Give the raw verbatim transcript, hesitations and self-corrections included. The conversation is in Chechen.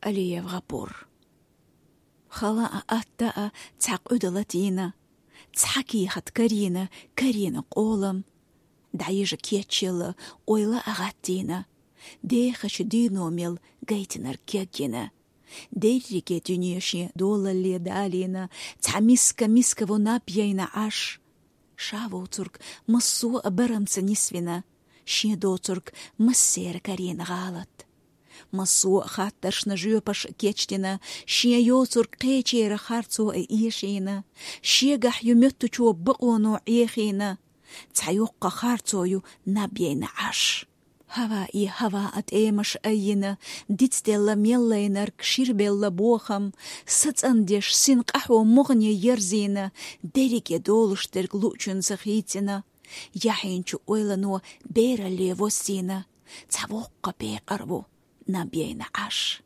Алиев Гъапур. Хала а, атта а цхьа къуьда латийна, цхьа кехат карийна, карийна къолам. ДӀайижа кечъелла, ойла а гӀаттийна, дехача дийно мел гайтинарг кегйина. Дерриге дуьне шен долалле далийна, цхьа миска, миска во наб яйна Ӏаш. Ша воцург массо а барамца нисвина, шен доцург массера карийна гӀалат. Массо а хаттаршна жоьпаш кечдина, шен йоцург кхечера харцо а эшийна, шегахь ю моьттучо бакъоно Ӏехийна, цхьа йоккха харцо ю наб яйна Ӏаш. Хьава и хьава а тӀемаш айина, дицделла меллайнарг ширбелла бохам, сацӀандеш син къахьо могӀне ерзийна, дерриге долуш дерг луъчунца хийцина, яхьинчу ойлано бералле воссийна, цхьа воккха пекъар ву наб яйна Ӏаш.